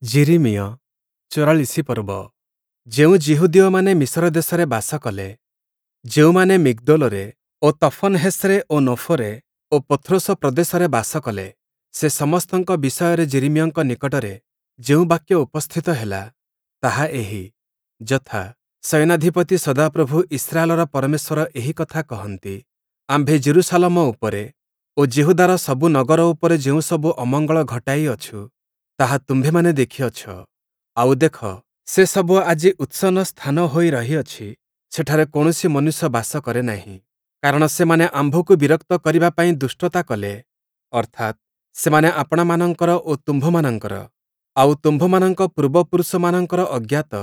ଯିରିମିୟ 44 ପର୍ବ। ଯେଉଁ ଯିହୁଦୀୟମାନେ ମିଶର ଦେଶରେ ବାସ କଲେ, ଯେଉଁମାନେ ମିଗ୍ଦୋଲରେ ଓ ତଫନହେସ୍‌ରେ ଓ ନୋଫରେ ଓ ପଥ୍ରୋସ ପ୍ରଦେଶରେ ବାସ କଲେ, ସେ ସମସ୍ତଙ୍କ ବିଷୟରେ ଯିରିମିୟଙ୍କ ନିକଟରେ ଯେଉଁ ବାକ୍ୟ ଉପସ୍ଥିତ ହେଲା, ତାହା ଏହି, ଯଥା, ସେନାଧିପତି ସଦାପ୍ରଭୁ ଇସ୍ରାଏଲର ପରମେଶ୍ୱର ଏହି କଥା କହନ୍ତି, ଆମ୍ଭେ ଯିରୂଶାଲମ ଉପରେ ଓ ଯିହୁଦାର ସବୁ ନଗର ଉପରେ ଯେଉଁସବୁ ଅମଙ୍ଗଳ ଘଟାଇଅଛୁ, ତାହା ତୁମ୍ଭେମାନେ ଦେଖିଅଛ। ଆଉ ଦେଖ, ସେସବୁ ଆଜି ଉତ୍ସନ୍ନ ସ୍ଥାନ ହୋଇ ରହିଅଛି, ସେଠାରେ କୌଣସି ମନୁଷ୍ୟ ବାସ କରେ ନାହିଁ। କାରଣ ସେମାନେ ଆମ୍ଭକୁ ବିରକ୍ତ କରିବା ପାଇଁ ଦୁଷ୍ଟତା କଲେ, ଅର୍ଥାତ୍, ସେମାନେ ଆପଣାମାନଙ୍କର ଓ ତୁମ୍ଭମାନଙ୍କର, ଆଉ ତୁମ୍ଭମାନଙ୍କ ପୂର୍ବପୁରୁଷମାନଙ୍କର ଅଜ୍ଞାତ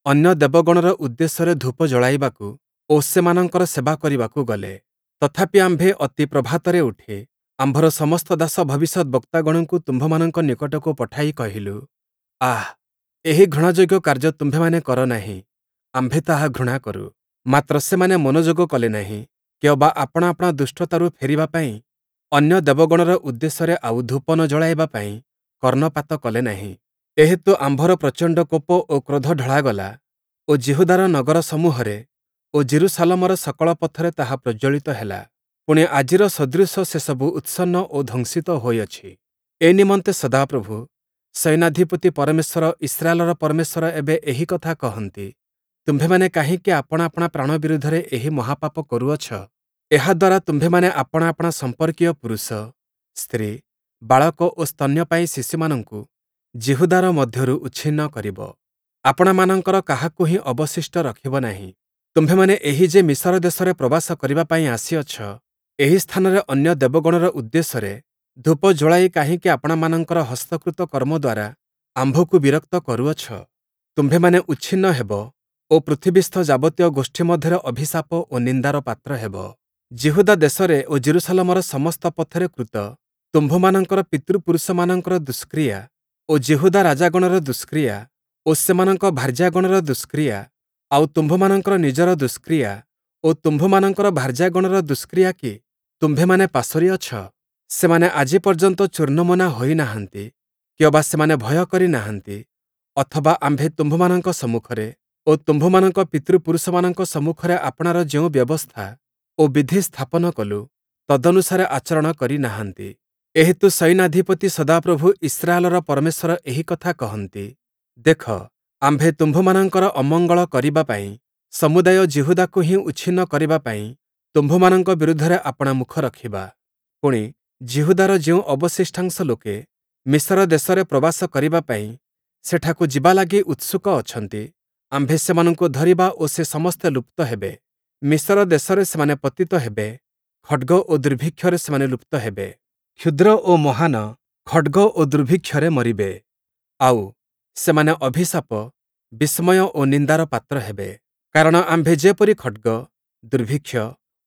ଅନ୍ୟ ଦେବଗଣର ଉଦ୍ଦେଶ୍ୟରେ ଧୂପ ଜଳାଇବାକୁ ଓ ସେମାନଙ୍କର ସେବା କରିବାକୁ ଗଲେ। ତଥାପି ଆମ୍ଭେ ଅତି ପ୍ରଭାତରେ ଉଠି ଆମ୍ଭର ସମସ୍ତ ଦାସ ଭବିଷ୍ୟଦ୍‌ବକ୍ତାଗଣଙ୍କୁ ତୁମ୍ଭମାନଙ୍କ ନିକଟକୁ ପଠାଇ କହିଲୁ, ଆଃ, ଏହି ଘୃଣାଯୋଗ୍ୟ କାର୍ଯ୍ୟ ତୁମ୍ଭେମାନେ କର ନାହିଁ, ଆମ୍ଭେ ତାହା ଘୃଣା କରୁ। ମାତ୍ର ସେମାନେ ମନୋଯୋଗ କଲେ ନାହିଁ, କିଅବା ଆପଣା ଆପଣା ଦୁଷ୍ଟତାରୁ ଫେରିବା ପାଇଁ ଅନ୍ୟ ଦେବଗଣର ଉଦ୍ଦେଶ୍ୟରେ ଆଉ ଧୂପ ନ ଜଳାଇବା ପାଇଁ କର୍ଣ୍ଣପାତ କଲେ ନାହିଁ। ଏହେତୁ ଆମ୍ଭର ପ୍ରଚଣ୍ଡ କୋପ ଓ କ୍ରୋଧ ଢଳାଗଲା ଓ ଯିହୁଦାର ନଗର ସମୂହରେ ଓ ଯିରୂଶାଲମର ସକଳ ପଥରେ ତାହା ପ୍ରଜ୍ୱଳିତ ହେଲା। ପୁଣି ଆଜିର ସଦୃଶ ସେସବୁ ଉତ୍ସନ୍ନ ଓ ଧ୍ୱଂସିତ ହୋଇଅଛି। ଏ ନିମନ୍ତେ ସଦାପ୍ରଭୁ, ସେନାଧିପତି ପରମେଶ୍ୱର, ଇସ୍ରାଏଲର ପରମେଶ୍ୱର ଏବେ ଏହି କଥା କହନ୍ତି, ତୁମ୍ଭେମାନେ କାହିଁକି ଆପଣା ଆପଣା ପ୍ରାଣ ବିରୁଦ୍ଧରେ ଏହି ମହାପାପ କରୁଅଛ? ଏହା ଦ୍ୱାରା ତୁମ୍ଭେମାନେ ଆପଣା ଆପଣା ସମ୍ପର୍କୀୟ ପୁରୁଷ, ସ୍ତ୍ରୀ, ବାଳକ ଓ ସ୍ତନ୍ୟପାୟୀ ଶିଶୁମାନଙ୍କୁ ଯିହୁଦାର ମଧ୍ୟରୁ ଉଚ୍ଛିନ୍ନ କରିବ। ଆପଣାମାନଙ୍କର କାହାକୁ ହିଁ ଅବଶିଷ୍ଟ ରଖିବ ନାହିଁ। ତୁମ୍ଭେମାନେ ଏହି ଯେ ମିଶର ଦେଶରେ ପ୍ରବାସ କରିବା ପାଇଁ ଆସିଅଛ, ଏହି ସ୍ଥାନରେ ଅନ୍ୟ ଦେବଗଣର ଉଦ୍ଦେଶ୍ୟରେ ଧୂପ ଜଳାଇ କାହିଁକି ଆପଣାମାନଙ୍କର ହସ୍ତକୃତ କର୍ମ ଦ୍ୱାରା ଆମ୍ଭକୁ ବିରକ୍ତ କରୁଅଛ? ତୁମ୍ଭେମାନେ ଉଚ୍ଛିନ୍ନ ହେବ ଓ ପୃଥିବୀସ୍ଥ ଯାବତୀୟ ଗୋଷ୍ଠୀ ମଧ୍ୟରେ ଅଭିଶାପ ଓ ନିନ୍ଦାର ପାତ୍ର ହେବ। ଯିହୁଦା ଦେଶରେ ଓ ଯିରୂଶାଲମର ସମସ୍ତ ପଥରେ କୃତ ତୁମ୍ଭମାନଙ୍କର ପିତୃପୁରୁଷମାନଙ୍କର ଦୁଷ୍କ୍ରିୟା ଓ ଯିହୁଦା ରାଜାଗଣର ଦୁଷ୍କ୍ରିୟା ଓ ସେମାନଙ୍କ ଭାର୍ଯ୍ୟାଗଣର ଦୁଷ୍କ୍ରିୟା, ଆଉ ତୁମ୍ଭମାନଙ୍କର ନିଜର ଦୁଷ୍କ୍ରିୟା ଓ ତୁମ୍ଭମାନଙ୍କର ଭାର୍ଯ୍ୟାଗଣର ଦୁଷ୍କ୍ରିୟା କି ତୁମ୍ଭେମାନେ ପାସୋରିଅଛ? ସେମାନେ ଆଜି ପର୍ଯ୍ୟନ୍ତ ଚୂର୍ଣ୍ଣମନା ହୋଇନାହାନ୍ତି, କିଅବା ସେମାନେ ଭୟ କରି ନାହାନ୍ତି, ଅଥବା ଆମ୍ଭେ ତୁମ୍ଭମାନଙ୍କ ସମ୍ମୁଖରେ ଓ ତୁମ୍ଭମାନଙ୍କ ପିତୃପୁରୁଷମାନଙ୍କ ସମ୍ମୁଖରେ ଆପଣାର ଯେଉଁ ବ୍ୟବସ୍ଥା ଓ ବିଧି ସ୍ଥାପନ କଲୁ, ତଦନୁସାରେ ଆଚରଣ କରି ନାହାନ୍ତି। ଏହେତୁ ସୈନ୍ୟାଧିପତି ସଦାପ୍ରଭୁ ଇସ୍ରାଏଲର ପରମେଶ୍ୱର ଏହି କଥା କହନ୍ତି, ଦେଖ, ଆମ୍ଭେ ତୁମ୍ଭମାନଙ୍କର ଅମଙ୍ଗଳ କରିବା ପାଇଁ, ସମୁଦାୟ ଯିହୁଦାକୁ ହିଁ ଉଚ୍ଛିନ୍ନ କରିବା ପାଇଁ ତୁମ୍ଭମାନଙ୍କ ବିରୁଦ୍ଧରେ ଆପଣା ମୁଖ ରଖିବା। ପୁଣି, ଯିହୁଦାର ଯେଉଁ ଅବଶିଷ୍ଟାଂଶ ଲୋକେ ମିଶର ଦେଶରେ ପ୍ରବାସ କରିବା ପାଇଁ ସେଠାକୁ ଯିବା ଲାଗି ଉତ୍ସୁକ ଅଛନ୍ତି, ଆମ୍ଭେ ସେମାନଙ୍କୁ ଧରିବା ଓ ସେ ସମସ୍ତେ ଲୁପ୍ତ ହେବେ। ମିଶର ଦେଶରେ ସେମାନେ ପତିତ ହେବେ, ଖଡ଼୍ଗ ଓ ଦୁର୍ଭିକ୍ଷରେ ସେମାନେ ଲୁପ୍ତ ହେବେ। କ୍ଷୁଦ୍ର ଓ ମହାନ ଖଡ଼୍ଗ ଓ ଦୁର୍ଭିକ୍ଷରେ ମରିବେ। ଆଉ, ସେମାନେ ଅଭିଶାପ, ବିସ୍ମୟ ଓ ନିନ୍ଦାର ପାତ୍ର ହେବେ। କାରଣ ଆମ୍ଭେ ଯେପରି ଖଡ଼୍ଗ, ଦୁର୍ଭିକ୍ଷ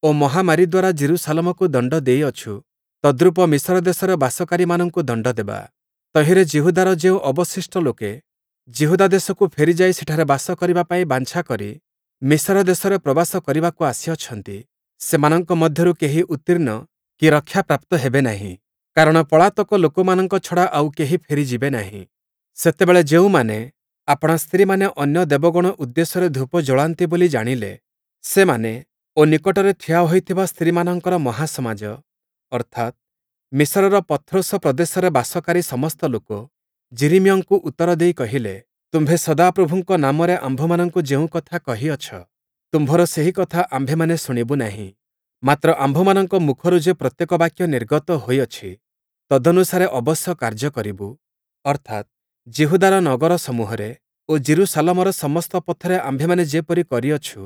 ଓ ମହାମାରୀ ଦ୍ୱାରା ଯିରୂଶାଲମକୁ ଦଣ୍ଡ ଦେଇଅଛୁ, ତଦ୍ରୂପ ମିଶର ଦେଶରେ ବାସକାରୀମାନଙ୍କୁ ଦଣ୍ଡ ଦେବା। ତହିଁରେ ଯିହୁଦାର ଯେଉଁ ଅବଶିଷ୍ଟ ଲୋକେ ଯିହୁଦା ଦେଶକୁ ଫେରିଯାଇ ସେଠାରେ ବାସ କରିବା ପାଇଁ ବାଞ୍ଛା କରି ମିଶର ଦେଶରେ ପ୍ରବାସ କରିବାକୁ ଆସିଅଛନ୍ତି, ସେମାନଙ୍କ ମଧ୍ୟରୁ କେହି ଉତ୍ତୀର୍ଣ୍ଣ କି ରକ୍ଷାପ୍ରାପ୍ତ ହେବେ ନାହିଁ। କାରଣ ପଳାତକ ଲୋକମାନଙ୍କ ଛଡ଼ା ଆଉ କେହି ଫେରିଯିବେ ନାହିଁ। ସେତେବେଳେ ଯେଉଁମାନେ ଆପଣା ସ୍ତ୍ରୀମାନେ ଅନ୍ୟ ଦେବଗଣ ଉଦ୍ଦେଶ୍ୟରେ ଧୂପ ଜଳାନ୍ତି ବୋଲି ଜାଣିଲେ, ସେମାନେ ଓ ନିକଟରେ ଠିଆ ହୋଇଥିବା ସ୍ତ୍ରୀମାନଙ୍କର ମହାସମାଜ, ଅର୍ଥାତ୍, ମିଶରର ପଥ୍ରୋସ ପ୍ରଦେଶରେ ବାସକାରୀ ସମସ୍ତ ଲୋକ, ଯିରିମିୟଙ୍କୁ ଉତ୍ତର ଦେଇ କହିଲେ, ତୁମ୍ଭେ ସଦାପ୍ରଭୁଙ୍କ ନାମରେ ଆମ୍ଭମାନଙ୍କୁ ଯେଉଁ କଥା କହିଅଛ, ତୁମ୍ଭର ସେହି କଥା ଆମ୍ଭେମାନେ ଶୁଣିବୁ ନାହିଁ। ମାତ୍ର ଆମ୍ଭମାନଙ୍କ ମୁଖରୁ ଯେ ପ୍ରତ୍ୟେକ ବାକ୍ୟ ନିର୍ଗତ ହୋଇଅଛି, ତଦନୁସାରେ ଅବଶ୍ୟ କାର୍ଯ୍ୟ କରିବୁ। ଅର୍ଥାତ୍, ଯିହୁଦାର ନଗର ସମୂହରେ ଓ ଯିରୂଶାଲମର ସମସ୍ତ ପଥରେ ଆମ୍ଭେମାନେ ଯେପରି କରିଅଛୁ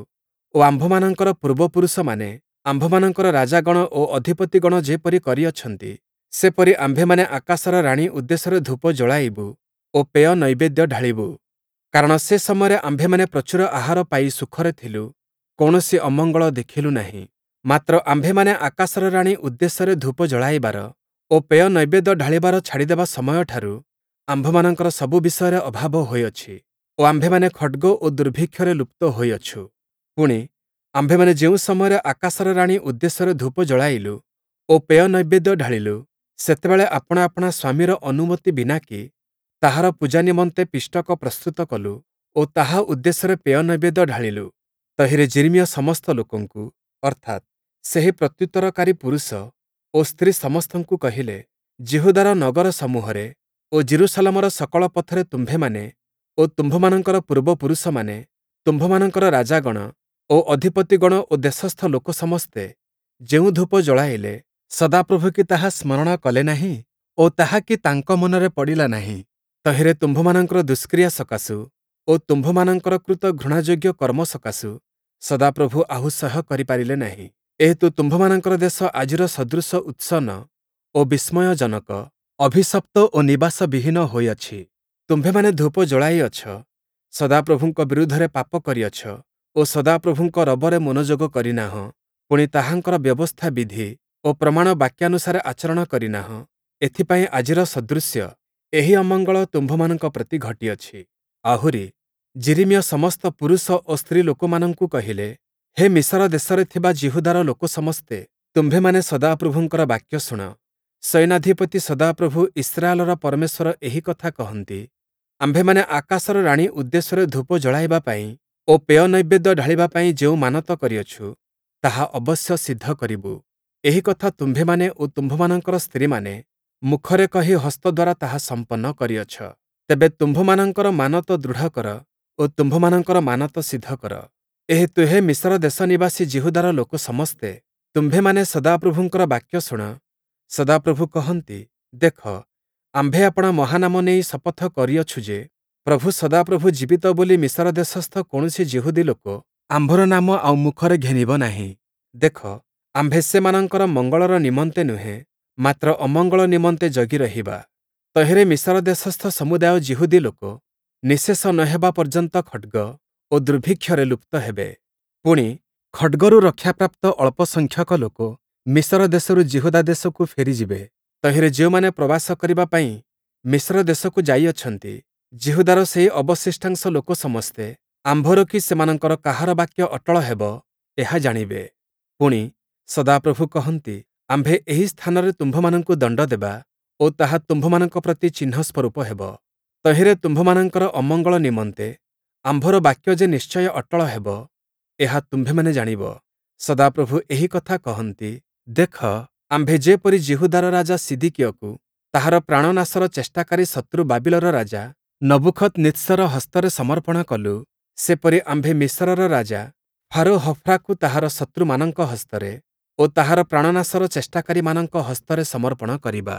ଓ ଆମ୍ଭମାନଙ୍କର ପୂର୍ବପୁରୁଷମାନେ, ଆମ୍ଭମାନଙ୍କର ରାଜାଗଣ ଓ ଅଧିପତିଗଣ ଯେପରି କରିଅଛନ୍ତି, ସେପରି ଆମ୍ଭେମାନେ ଆକାଶର ରାଣୀ ଉଦ୍ଦେଶ୍ୟରେ ଧୂପ ଜଳାଇବୁ ଓ ପେୟ ନୈବେଦ୍ୟ ଢାଳିବୁ। କାରଣ ସେ ସମୟରେ ଆମ୍ଭେମାନେ ପ୍ରଚୁର ଆହାର ପାଇ ସୁଖରେ ଥିଲୁ, କୌଣସି ଅମଙ୍ଗଳ ଦେଖିଲୁ ନାହିଁ। ମାତ୍ର ଆମ୍ଭେମାନେ ଆକାଶର ରାଣୀ ଉଦ୍ଦେଶ୍ୟରେ ଧୂପ ଜଳାଇବାର ଓ ପେୟ ନୈବେଦ୍ୟ ଢାଳିବାର ଛାଡ଼ିଦେବା ସମୟଠାରୁ ଆମ୍ଭମାନଙ୍କର ସବୁ ବିଷୟରେ ଅଭାବ ହୋଇଅଛି ଓ ଆମ୍ଭେମାନେ ଖଡ଼୍ଗ ଓ ଦୁର୍ଭିକ୍ଷରେ ଲୁପ୍ତ ହୋଇଅଛୁ। ପୁଣି, ଆମ୍ଭେମାନେ ଯେଉଁ ସମୟରେ ଆକାଶର ରାଣୀ ଉଦ୍ଦେଶ୍ୟରେ ଧୂପ ଜଳାଇଲୁ ଓ ପେୟ ନୈବେଦ୍ୟ ଢାଳିଲୁ, ସେତେବେଳେ ଆପଣା ଆପଣା ସ୍ୱାମୀର ଅନୁମତି ବିନାକି ତାହାର ପୂଜା ନିମନ୍ତେ ପିଷ୍ଟକ ପ୍ରସ୍ତୁତ କଲୁ ଓ ତାହା ଉଦ୍ଦେଶ୍ୟରେ ପେୟ ନୈବେଦ୍ୟ ଢାଳିଲୁ। ତହିଁରେ ଯିରିମିୟ ସମସ୍ତ ଲୋକଙ୍କୁ, ଅର୍ଥାତ୍, ସେହି ପ୍ରତ୍ୟୁତ୍ତରକାରୀ ପୁରୁଷ ଓ ସ୍ତ୍ରୀ ସମସ୍ତଙ୍କୁ କହିଲେ, ଯିହୁଦାର ନଗରସମୂହରେ ଓ ଯିରୂଶାଲମର ସକଳ ପଥରେ ତୁମ୍ଭେମାନେ ଓ ତୁମ୍ଭମାନଙ୍କର ପୂର୍ବପୁରୁଷମାନେ, ତୁମ୍ଭମାନଙ୍କର ରାଜାଗଣ ଓ ଅଧିପତିଗଣ ଓ ଦେଶସ୍ଥ ଲୋକ ସମସ୍ତେ ଯେଉଁ ଧୂପ ଜଳାଇଲେ, ସଦାପ୍ରଭୁ କି ତାହା ସ୍ମରଣ କଲେ ନାହିଁ ଓ ତାହା କି ତାଙ୍କ ମନରେ ପଡ଼ିଲା ନାହିଁ? ତହିଁରେ ତୁମ୍ଭମାନଙ୍କର ଦୁଷ୍କ୍ରିୟା ସକାଶୁ ଓ ତୁମ୍ଭମାନଙ୍କର କୃତ ଘୃଣାଯୋଗ୍ୟ କର୍ମ ସକାଶୁ ସଦାପ୍ରଭୁ ଆହୁ ସହ୍ୟ କରିପାରିଲେ ନାହିଁ। ଏହେତୁ ତୁମ୍ଭମାନଙ୍କର ଦେଶ ଆଜିର ସଦୃଶ ଉତ୍ସନ୍ନ ଓ ବିସ୍ମୟଜନକ, ଅଭିଶପ୍ତ ଓ ନିବାସବିହୀନ ହୋଇଅଛି। ତୁମ୍ଭେମାନେ ଧୂପ ଜଳାଇଅଛ, ସଦାପ୍ରଭୁଙ୍କ ବିରୁଦ୍ଧରେ ପାପ କରିଅଛ ଓ ସଦାପ୍ରଭୁଙ୍କ ରବରେ ମନୋଯୋଗ କରିନାହଁ, ପୁଣି ତାହାଙ୍କର ବ୍ୟବସ୍ଥା ବିଧି ଓ ପ୍ରମାଣ ବାକ୍ୟାନୁସାରେ ଆଚରଣ କରିନାହଁ, ଏଥିପାଇଁ ଆଜିର ସଦୃଶ୍ୟ ଏହି ଅମଙ୍ଗଳ ତୁମ୍ଭମାନଙ୍କ ପ୍ରତି ଘଟିଅଛି। ଆହୁରି, ଯିରିମିୟ ସମସ୍ତ ପୁରୁଷ ଓ ସ୍ତ୍ରୀ ଲୋକମାନଙ୍କୁ କହିଲେ, ହେ ମିସର ଦେଶରେ ଥିବା ଯିହୁଦାର ଲୋକ ସମସ୍ତେ, ତୁମ୍ଭେମାନେ ସଦାପ୍ରଭୁଙ୍କର ବାକ୍ୟ ଶୁଣ। ସୈନ୍ୟାଧିପତି ସଦାପ୍ରଭୁ ଇସ୍ରାଏଲର ପରମେଶ୍ୱର ଏହି କଥା କହନ୍ତି, ଆମ୍ଭେମାନେ ଆକାଶର ରାଣୀ ଉଦ୍ଦେଶ୍ୟରେ ଧୂପ ଜଳାଇବା ପାଇଁ ଓ ପେୟ ନୈବେଦ୍ୟ ଢାଳିବା ପାଇଁ ଯେଉଁ ମାନତ କରିଅଛୁ, ତାହା ଅବଶ୍ୟ ସିଦ୍ଧ କରିବୁ। ଏହି କଥା ତୁମ୍ଭେମାନେ ଓ ତୁମ୍ଭମାନଙ୍କର ସ୍ତ୍ରୀମାନେ ମୁଖରେ କହି ହସ୍ତ ଦ୍ୱାରା ତାହା ସମ୍ପନ୍ନ କରିଅଛ। ତେବେ ତୁମ୍ଭମାନଙ୍କର ମାନତ ଦୃଢ଼ କର ଓ ତୁମ୍ଭମାନଙ୍କର ମାନତ ସିଦ୍ଧ କର। ଏହେତୁ ହେ ମିସର ଦେଶ ନିବାସୀ ଯିହୁଦାର ଲୋକ ସମସ୍ତେ, ତୁମ୍ଭେମାନେ ସଦାପ୍ରଭୁଙ୍କର ବାକ୍ୟ ଶୁଣ। ସଦାପ୍ରଭୁ କହନ୍ତି, ଦେଖ, ଆମ୍ଭେ ଆପଣା ମହାନାମ ନେଇ ଶପଥ କରିଅଛୁ ଯେ, ପ୍ରଭୁ ସଦାପ୍ରଭୁ ଜୀବିତ ବୋଲି ମିସର ଦେଶସ୍ଥ କୌଣସି ଯିହୁଦୀ ଲୋକ ଆମ୍ଭର ନାମ ଆଉ ମୁଖରେ ଘେନିବ ନାହିଁ। ଦେଖ, ଆମ୍ଭେ ସେମାନଙ୍କର ମଙ୍ଗଳର ନିମନ୍ତେ ନୁହେଁ, ମାତ୍ର ଅମଙ୍ଗଳ ନିମନ୍ତେ ଜଗି ରହିବା। ତହିଁରେ ମିସର ଦେଶସ୍ଥ ସମୁଦାୟ ଯିହୁଦୀ ଲୋକ ନିଃଶେଷ ନ ହେବା ପର୍ଯ୍ୟନ୍ତ ଖଡ଼୍ଗ ଓ ଦୁର୍ଭିକ୍ଷରେ ଲୁପ୍ତ ହେବେ। ପୁଣି, ଖଡ଼୍ଗରୁ ରକ୍ଷାପ୍ରାପ୍ତ ଅଳ୍ପ ସଂଖ୍ୟକ ଲୋକ ମିସର ଦେଶରୁ ଯିହୁଦା ଦେଶକୁ ଫେରିଯିବେ। ତହିଁରେ ଯେଉଁମାନେ ପ୍ରବାସ କରିବା ପାଇଁ ମିସର ଦେଶକୁ ଯାଇଅଛନ୍ତି, ଯିହୁଦାର ସେହି ଅବଶିଷ୍ଟାଂଶ ଲୋକ ସମସ୍ତେ ଆମ୍ଭର କି ସେମାନଙ୍କର କାହାର ବାକ୍ୟ ଅଟଳ ହେବ, ଏହା ଜାଣିବେ। ପୁଣି, ସଦାପ୍ରଭୁ କହନ୍ତି, ଆମ୍ଭେ ଏହି ସ୍ଥାନରେ ତୁମ୍ଭମାନଙ୍କୁ ଦଣ୍ଡ ଦେବା ଓ ତାହା ତୁମ୍ଭମାନଙ୍କ ପ୍ରତି ଚିହ୍ନ ସ୍ୱରୂପ ହେବ। ତହିଁରେ ତୁମ୍ଭମାନଙ୍କର ଅମଙ୍ଗଳ ନିମନ୍ତେ ଆମ୍ଭର ବାକ୍ୟ ଯେ ନିଶ୍ଚୟ ଅଟଳ ହେବ, ଏହା ତୁମ୍ଭେମାନେ ଜାଣିବ। ସଦାପ୍ରଭୁ ଏହି କଥା କହନ୍ତି, ଦେଖ, ଆମ୍ଭେ ଯେପରି ଯିହୁଦାର ରାଜା ସିଦିକିୟକୁ ତାହାର ପ୍ରାଣନାଶର ଚେଷ୍ଟାକାରୀ ଶତ୍ରୁ ବାବିଲର ରାଜା ନବୂଖଦନିତ୍ସର ହସ୍ତରେ ସମର୍ପଣ କଲୁ, ସେପରି ଆମ୍ଭେ ମିସରର ରାଜା ଫାରୋ ହଫ୍ରାକୁ ତାହାର ଶତ୍ରୁମାନଙ୍କ ହସ୍ତରେ ଓ ତାହାର ପ୍ରାଣନାଶର ଚେଷ୍ଟାକାରୀମାନଙ୍କ ହସ୍ତରେ ସମର୍ପଣ କରିବା।